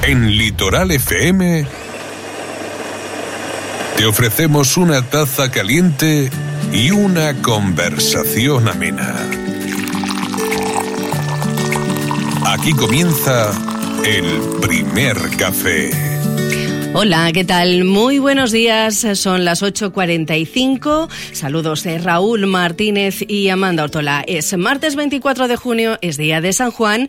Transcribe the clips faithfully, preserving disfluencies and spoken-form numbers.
En Litoral F M te ofrecemos una taza caliente y una conversación amena. Aquí comienza el primer café. Hola, ¿qué tal? Muy buenos días, son las ocho cuarenta y cinco. Saludos de Raúl Martínez y Amanda Ortola. Es martes veinticuatro de junio, es día de San Juan.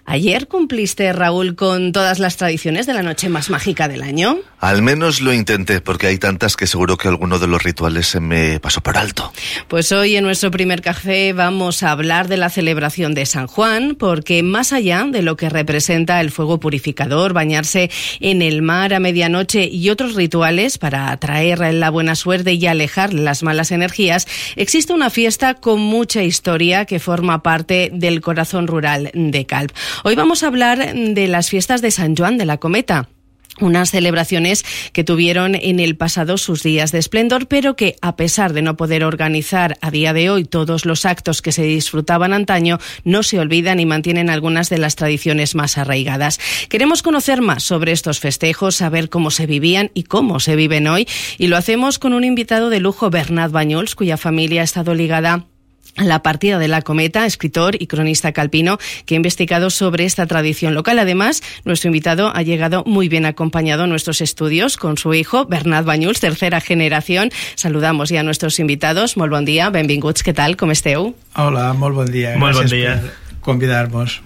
Ayer cumpliste, Raúl, con todas las tradiciones de la noche más mágica del año. Al menos lo intenté, porque hay tantas que seguro que alguno de los rituales se me pasó por alto. Pues hoy en nuestro primer café vamos a hablar de la celebración de San Juan, porque más allá de lo que representa el fuego purificador, bañarse en el mar a medianoche y otros rituales para atraer la buena suerte y alejar las malas energías, existe una fiesta con mucha historia que forma parte del corazón rural de Calp. Hoy vamos a hablar de las fiestas de San Joan de la Cometa. Unas celebraciones que tuvieron en el pasado sus días de esplendor, pero que, a pesar de no poder organizar a día de hoy todos los actos que se disfrutaban antaño, no se olvidan y mantienen algunas de las tradiciones más arraigadas. Queremos conocer más sobre estos festejos, saber cómo se vivían y cómo se viven hoy, y lo hacemos con un invitado de lujo, Bernat Banyuls, cuya familia ha estado ligada a la partida de la Cometa, escritor y cronista calpino que ha investigado sobre esta tradición local. Además, nuestro invitado ha llegado muy bien acompañado a nuestros estudios con su hijo, Bernat Banyuls, tercera generación. Saludamos ya a nuestros invitados. Molt bon dia, benvinguts, què tal, com esteu? Hola, molt bon dia. Molt bon Gràcies dia. per convidar-nos.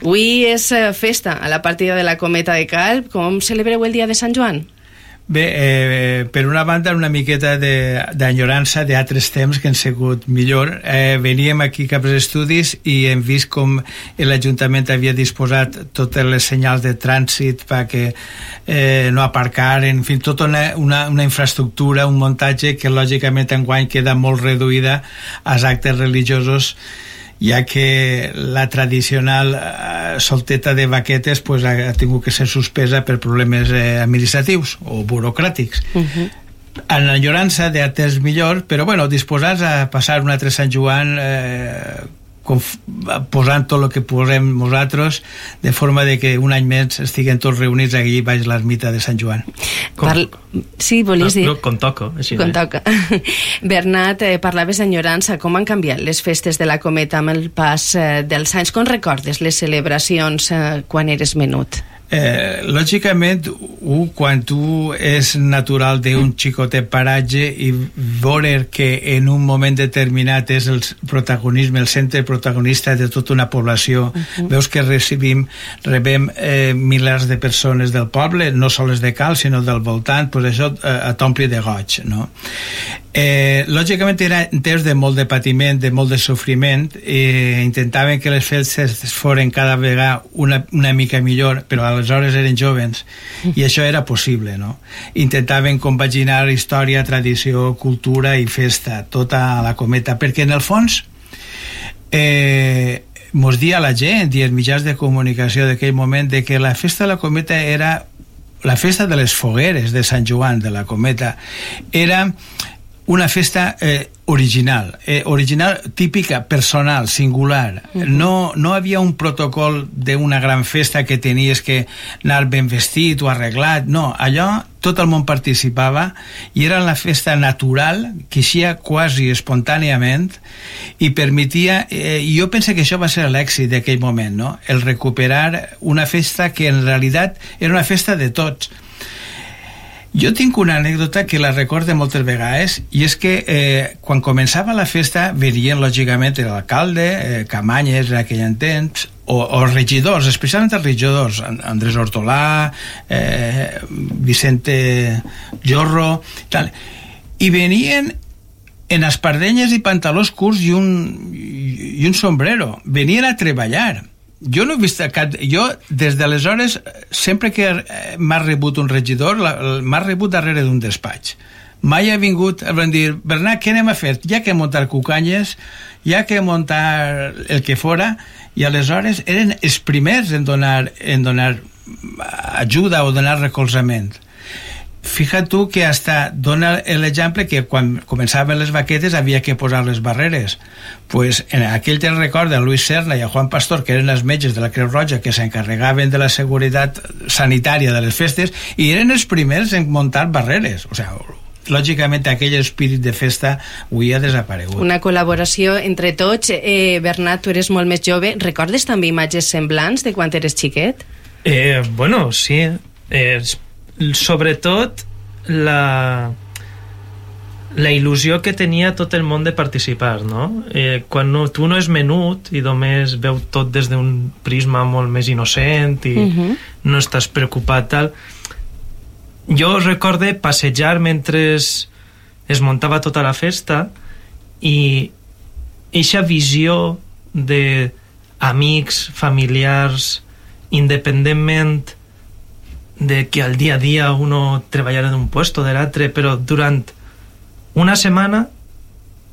Avui és festa a la partida de la Cometa de Calp. Com celebreu el dia de Sant Joan? Bé, eh, per una banda, una miqueta d'enyorança d'altres temps que han sigut millor. Eh, veníem aquí cap als estudis i hem vist com l'Ajuntament havia disposat totes les senyals de trànsit perquè eh, no aparcar, en fi, tota una, una, una infraestructura, un muntatge que lògicament enguany queda molt reduïda als actes religiosos, ja que la tradicional eh, solteta de vaquetes pues, ha, ha tingut que ser suspesa per problemes eh, administratius o burocràtics. Uh-huh. En enyorança d'altres millor, però bueno, disposats a passar un altre Sant Joan eh, conf- posant tot el que posem nosaltres, de forma de que un any més estiguem tots reunits aquí baix l'ermita de Sant Joan. Parl... Sí, volies dir? No, no, com toca. Així, com eh? toca. Bernat, eh, parlaves d'enyorança. Com han canviat les festes de la Cometa amb el pas eh, dels anys? Com recordes les celebracions eh, quan eres menut? Eh, lògicament, un, quan tu és natural d'un xicotet paratge i veure que en un moment determinat és el protagonisme, el centre protagonista de tota una població, uh-huh. Veus que recibim, rebem eh, milers de persones del poble, no sols de Cal, sinó del voltant, pues això eh, t'ompli de goig, no? Eh, lògicament era en temps de molt de patiment, de molt de sofriment, eh, intentaven que les festes foren cada vegada una, una mica millor, però aleshores eren jovens i això era possible, no? Intentaven compaginar història, tradició, cultura i festa, tota la Cometa, perquè en el fons eh, mos dia la gent i els mitjans de comunicació d'aquell moment de que la festa de la Cometa era la festa de les fogueres de Sant Joan de la Cometa, era una festa eh, original, eh, original, típica, personal, singular. Uh-huh. No, no havia un protocol d'una gran festa que tenies que anar ben vestit o arreglat, no, allò tot el món participava i era la festa natural que eixia quasi espontàniament i permetia, eh, i jo penso que això va ser l'èxit d'aquell moment, no? El recuperar una festa que en realitat era una festa de tots. Jo tinc una anècdota que la recorde moltes vegades i és que eh, quan començava la festa venien lògicament l'alcalde, eh, Camanyes en aquell temps, o, o regidors, especialment els regidors, Andrés Ortolà, eh, Vicente Jorro, tal, i venien en espardenyes i pantalons curts i un, i un sombrero, venien a treballar. Jo no he vist cap... Jo, des d'aleshores, sempre que m'ha rebut un regidor, m'ha rebut darrere d'un despatx. Mai ha vingut a dir, Bernat, què anem a fer? Ja que muntar cucanyes, ja que muntar el que fora, i aleshores eren els primers en donar, en donar ajuda o donar recolzament. fíjate tu que hasta dona l'exemple que quan començaven les vaquetes havia que posar les barreres. Pues en aquell temps recorda a Luis Serna i a Juan Pastor, que eren els metges de la Creu Roja que s'encarregaven de la seguretat sanitària de les festes, i eren els primers en muntar barreres. O sigui, lògicament aquell espírit de festa avui ha desaparegut. Una col·laboració entre tots. eh, Bernat, tu eres molt més jove, recordes també imatges semblants de quan eres xiquet? Eh, bueno, sí. Eh, sobretot la la il·lusió que tenia tot el món de participar, no? Eh, quan no, tu no és menut i només veu tot des d'un prisma molt més innocent i uh-huh. no estàs preocupat tal. Jo recorde passejar mentre es, es muntava tota la festa i eixa visió de amics, familiars, independentment de que al dia a dia uno treballara en un puesto de l'altre, però durant una setmana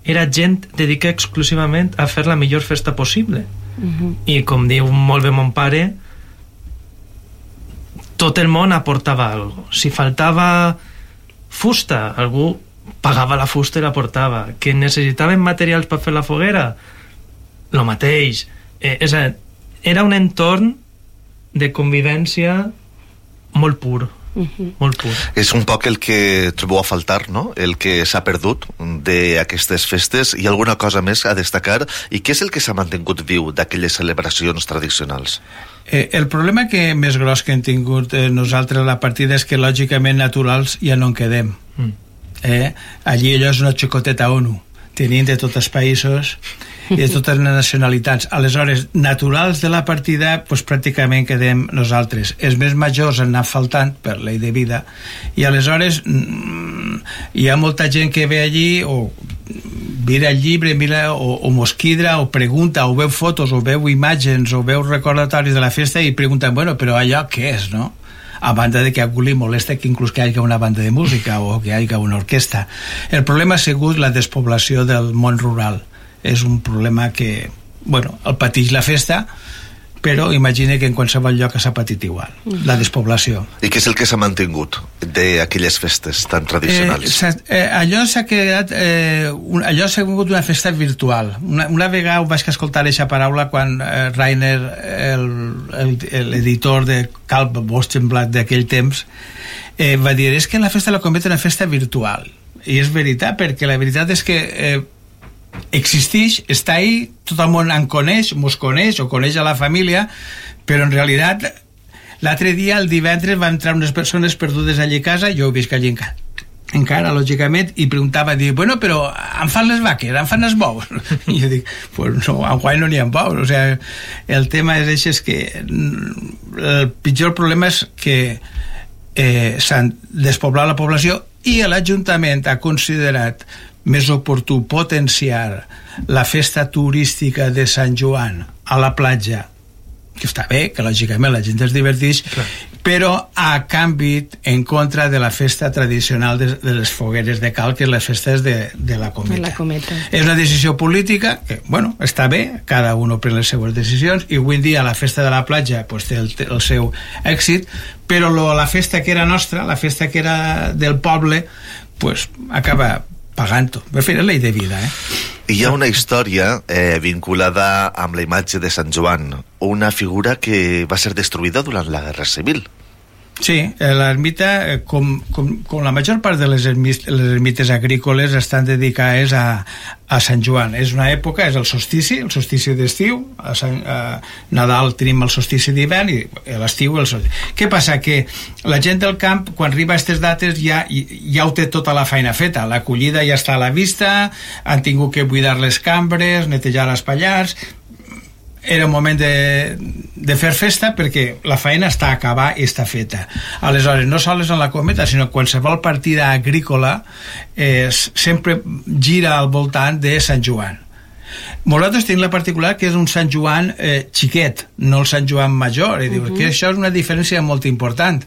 era gent dedicada exclusivament a fer la millor festa possible. Uh-huh. I com diu molt bé mon pare, tot el món aportava alguna cosa. Si faltava fusta, algú pagava la fusta i la portava. Que necessitaven materials per fer la foguera, lo mateix. Eh, és a, era un entorn de convivència molt pur. Uh-huh. Molt pur. És un poc el que trobeu a faltar, no? El que s'ha perdut d'aquestes festes. I alguna cosa més a destacar? I què és el que s'ha mantingut viu d'aquelles celebracions tradicionals? Eh, el problema que més gros que hem tingut eh, nosaltres a la partida és que lògicament naturals ja no en quedem. Mm. Eh? Allí allò és una xicoteta ONU, tenint de tots els països i de totes les nacionalitats. Aleshores, naturals de la partida, pues, pràcticament quedem nosaltres. Els més majors han anat faltant per llei de vida, i aleshores mm, hi ha molta gent que ve allí o mira el llibre, mira, o, o mosquidra, o pregunta, o veu fotos, o veu imatges, o veu recordatoris de la festa i pregunten, bueno, però allò què és, no? A banda de que a algú li molesta que inclús que hi hagi una banda de música o que hi hagi una orquestra. El problema ha sigut la despoblació del món rural. És un problema que, bueno, el pateix la festa, però imagina que en qualsevol lloc s'ha patit igual, la despoblació. I què és el que s'ha mantingut d'aquelles festes tan tradicionals? Eh, eh, allò s'ha quedat eh, un, allò s'ha tingut una festa virtual. Una, una vegada vaig escoltar aquesta paraula quan eh, Rainer, l'editor de Calb Bostenblatt d'aquell temps, eh, va dir, és que la festa la convierte en una festa virtual. I és veritat, perquè la veritat és que eh, existeix, està ahí, tot el món en coneix, mos coneix o coneix a la família, però en realitat l'altre dia, el divendres, van entrar unes persones perdudes allí a casa, jo ho visc allí encara, encara, lògicament, i preguntava, dic, bueno, però em fan les vaques, em fan els bous? I jo dic, pues no, en guai no n'hi ha bous. O sigui, el tema és això, és que el pitjor problema és que eh, s'han despoblat la població i l'Ajuntament ha considerat més oportú potenciar la festa turística de Sant Joan a la platja, que està bé, que lògicament la gent es diverteix, clar, però a canvi en contra de la festa tradicional de, de les fogueres de cal, que és les festes de, de la cometa. la cometa. És una decisió política que, bueno, està bé, cada un pren les seues decisions, i avui en dia la festa de la platja pues, té el, el seu èxit, però lo, la festa que era nostra, la festa que era del poble, pues, acaba pagant-ho. Per fer la llei de vida, eh? Hi ha una història eh, vinculada amb la imatge de Sant Joan, una figura que va ser destruïda durant la Guerra Civil. Sí, l'ermita, com, com, com la major part de les, ermit, les ermites agrícoles, estan dedicades a, a Sant Joan. És una època, és el solstici, el solstici d'estiu, a, Sant, a Nadal tenim el solstici d'hivern i a l'estiu el solstici. Què passa? Que la gent del camp, quan arriba a aquestes dates, ja, ja ho té tota la feina feta. La collida ja està a la vista, han tingut que buidar les cambres, netejar els pallars. Era un moment de, de fer festa perquè la feina està a acabar i està feta. Aleshores, no sols en la cometa, sinó qualsevol partida agrícola eh, sempre gira al voltant de Sant Joan. Nosaltres tenim la particular que és un Sant Joan eh, xiquet, no el Sant Joan major, i diu uh-huh. que això és una diferència molt important,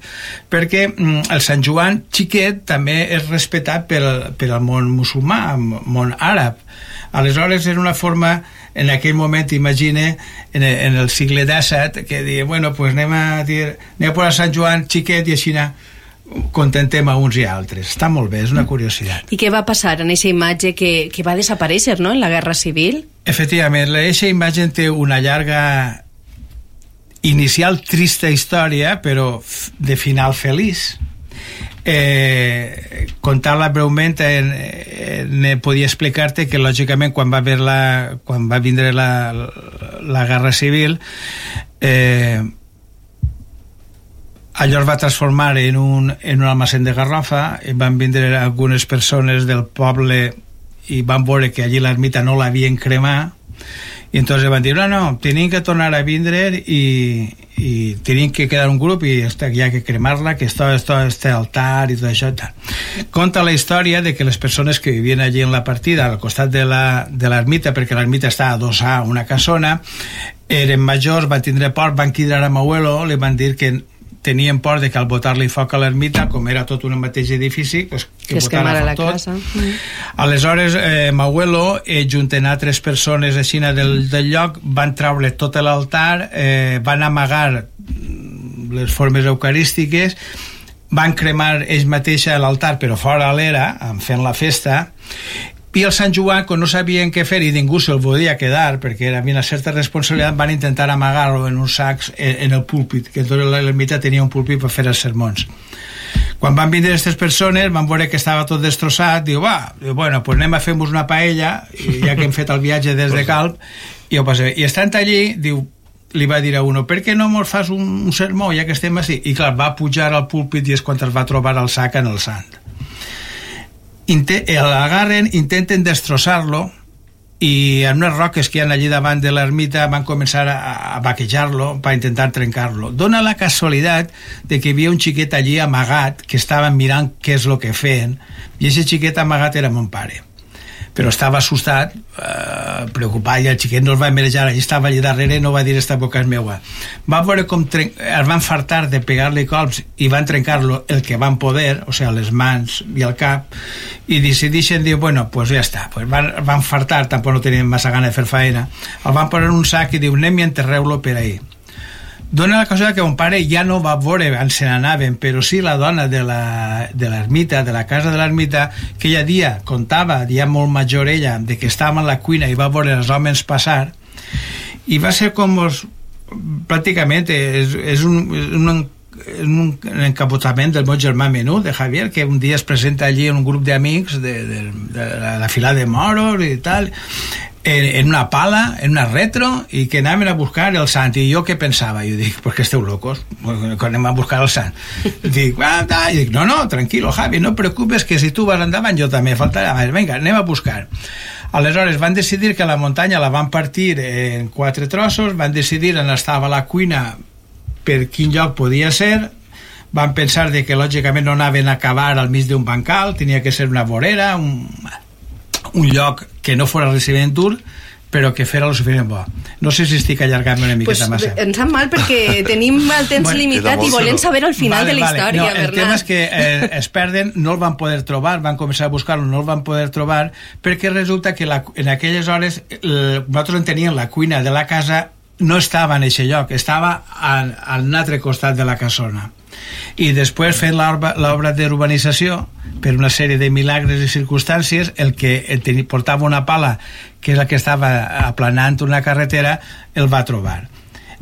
perquè mm, el Sant Joan xiquet també és respetat per, per al món musulmà, el món àrab. Aleshores era una forma, en aquell moment, imagine, en, en el segle disset, que deia, bueno, pues anem a dir, anem a posar Sant Joan xiquet i així contentem a uns i altres. Està molt bé, és una curiositat. I què va passar en aquesta imatge que, que va desaparèixer, no?, en la Guerra Civil? Efectivament, aquesta imatge té una llarga inicial trista història, però de final feliç. Eh, contar-la breument en, en, podia explicar-te que lògicament quan va, haver la, quan va vindre la, la Guerra Civil, eh, allò es va transformar en un, en un almacén de garrofa, i van vindre algunes persones del poble i van veure que allí l'ermita no l'havien cremat, i entonces van dir, no, no, tenim que tornar a vindre i, i tenim que quedar un grup i hi ha que cremar-la, que esto, esto, este altar i tot això. Tal. Conta la història de que les persones que vivien allí en la partida, al costat de l'ermita, perquè l'ermita està adossada a una casona, eren majors, van tindre por, van cridar a Mauelo, li van dir que tenien por de que al botar-li foc a l'ermita, com era tot un mateix edifici, pues, que, que es quemara la tot. casa. Mm. Aleshores, eh, Mauelo, eh, juntant altres persones així del, del lloc, van treure tot l'altar, eh, van amagar les formes eucarístiques, van cremar ells mateixa l'altar, però fora a l'era, fent la festa, i el Sant Joan, quan no sabien què fer i ningú se'l volia quedar perquè era una certa responsabilitat, van intentar amagar-lo en uns sacs en el púlpit, que tota l'ermita tenia un púlpit per fer els sermons. Quan van vindre aquestes persones van veure que estava tot destrossat, diu, va, diu, bueno, pues anem a fer-nos una paella, i ja que hem fet el viatge des de Calp, i ho passem. I estant allí, diu, li va dir a uno, per què no mos fas un, un sermó ja que estem així? I clar, va pujar al púlpit i és quan es va trobar el sac en el sant. L'agarren, intenten destrossar-lo i en unes roques que hi ha allí davant de l'ermita van començar a, a vaquejar-lo per intentar trencar-lo. Dona la casualitat de que hi havia un xiquet allí amagat que estava mirant què és el que feien, i aquest xiquet amagat era mon pare, però estava assustat, eh, preocupat, i el xiquet no es va marejar, allí estava allà darrere i no va dir esta boca és meua. Va veure com es van fartar de pegar-li colps i van trencar-lo el que van poder, o sigui, les mans i el cap, i decideixen dir, bueno, pues ja està, pues van, van fartar, tampoc no tenien massa gana de fer feina, el van posar en un sac i diu, anem i enterreu-lo per ahí. Dona la cosa que mon pare ja no va veure on se n'anaven, però sí la dona de l'ermita, de la casa de l'ermita, que ella dia contava, ja molt major ella, de que estava en la cuina i va veure els homes passar, i va ser com els, pràcticament és, és un, un un encapotament del meu germà menut, de Javier, que un dia es presenta allí en un grup d'amics de, de, de la fila de moros i tal, en, en una pala, en una retro, i que anaven a buscar el sant. I jo què pensava? Jo dic, pues que esteu locos, quan anem a buscar el sant. Dic, ah, ah. I dic, no, no, tranquilo, Javi, no preocupes, que si tu vas endavant jo també faltarà. Vinga, anem a buscar. Aleshores van decidir que la muntanya la van partir en quatre trossos, van decidir on estava la cuina, per quin lloc podia ser, van pensar de que lògicament no anaven a acabar al mig d'un bancal, tenia que ser una vorera, un, un lloc que no fos recibent dur, però que fera lo suficient bo. No sé si estic allargant una miqueta pues, massa. Em sap mal perquè tenim el temps bueno, limitat i volem saber al final vale, de la vale. història, no, Bernat. El tema és que eh, es perden, no el van poder trobar, van començar a buscar-lo, no el van poder trobar, perquè resulta que la, en aquelles hores el, nosaltres en teníem la cuina de la casa, no estava en aquest lloc, estava al, al altre costat de la casona. I després, fent l'obra d'urbanització, per una sèrie de milagres i circumstàncies, el que el tenia, portava una pala, que és el que estava aplanant una carretera, el va trobar.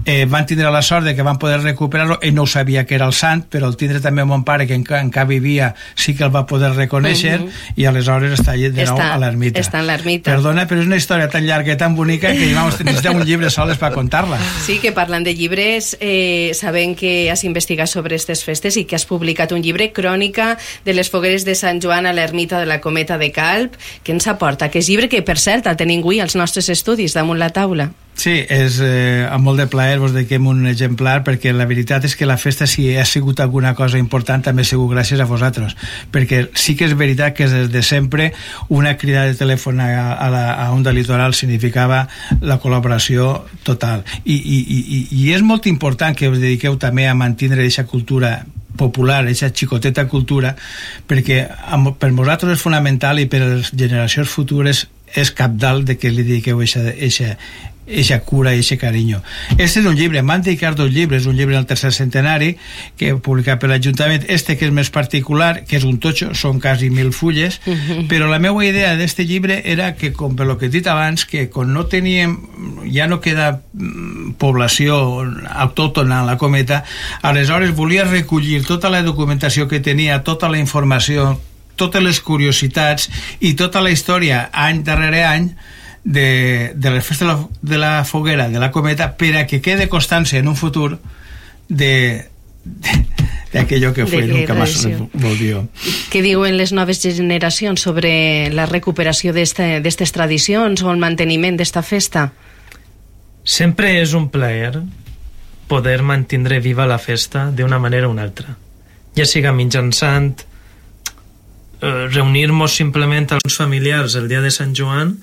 Eh, van tindre la sort de que van poder recuperar-lo. Ell no ho sabia que era el sant, però el tindre també mon pare, que encara, encara vivia, sí que el va poder reconèixer, uh -huh. i aleshores està allà de nou està, a l'ermita. Està en l'ermita. Perdona, però és una història tan llarga i tan bonica que vamos, necessitem un llibre soles per contar-la. Sí, que parlant de llibres, eh, sabem que has investigat sobre aquestes festes i que has publicat un llibre, Crònica de les fogueres de Sant Joan a l'ermita de la Cometa de Calp. Què ens aporta aquest llibre, que per cert el tenim avui als nostres estudis damunt la taula? Sí, és eh, amb molt de plaer vos dediquem un exemplar, perquè la veritat és que la festa, si ha sigut alguna cosa important, també ha sigut gràcies a vosaltres, perquè sí que és veritat que des de sempre una crida de telèfon a, a, la, a Onda Litoral significava la col·laboració total, i, i, i, i és molt important que us dediqueu també a mantenir aquesta cultura popular, aquesta xicoteta cultura, perquè per vosaltres és fonamental, i per les generacions futures és cabdal de que li dediqueu eixa, eixa, eixa cura i eixe carinyo. Este és un llibre, m'han dedicat dos llibres, un llibre del tercer centenari que he publicat per l'Ajuntament, este que és més particular, que és un totxo, són quasi mil fulles, uh-huh. però la meva idea d'este llibre era que, com per lo que he dit abans, que quan no teníem, ja no queda població autòctona a la Cometa, aleshores volia recollir tota la documentació que tenia, tota la informació, totes les curiositats i tota la història any darrere any de, de les festes de la, de la foguera de la Cometa, per a que quede constància en un futur de, de, de aquello que fue nunca más volvió. Què diuen les noves generacions sobre la recuperació d'aquestes tradicions o el manteniment d'esta festa? Sempre és un plaer poder mantindre viva la festa d'una manera o una altra, ja siga mitjançant eh, reunir-nos simplement als familiars el dia de Sant Joan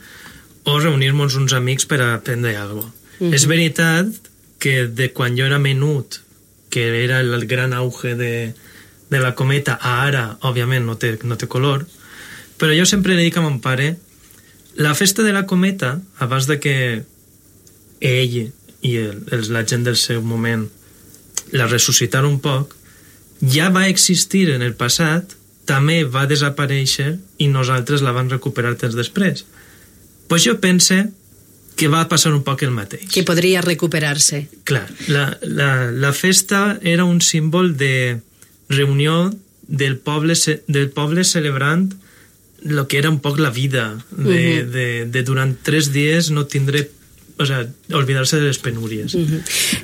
o reunir-nos uns amics per a aprendre alguna cosa. Uh-huh. És veritat que de quan jo era menut, que era el gran auge de, de la Cometa, a ara, òbviament, no té, no té color, però jo sempre li dic a mon pare, la festa de la Cometa, abans de que ell i el, el, la gent del seu moment la ressuscitar un poc, ja va existir en el passat, també va desaparèixer i nosaltres la vam recuperar temps després. Pues jo pense que va passar un poc el mateix. Que podria recuperar-se. Clar, la, la, la festa era un símbol de reunió del poble, del poble celebrant el que era un poc la vida, de, uh-huh. de, de durant tres dies no tindré, o sea, olvidar-se de les penúries. Uh-huh.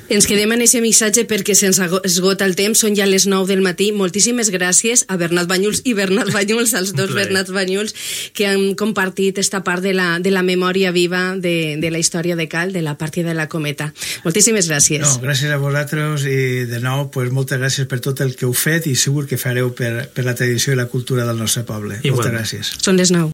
Ens quedem en aquest missatge perquè se'ns esgota el temps, són ja les nou del matí. Moltíssimes gràcies a Bernat Banyuls i Bernat Banyuls, als dos Bernats Banyuls, que han compartit esta part de la, de la memòria viva de, de la història de Cal, de la partida de la Cometa. Moltíssimes gràcies. No, gràcies a vosaltres i de nou, pues, moltes gràcies per tot el que heu fet i segur que fareu per, per la tradició i la cultura del nostre poble. Igual. Moltes gràcies. Són les nou.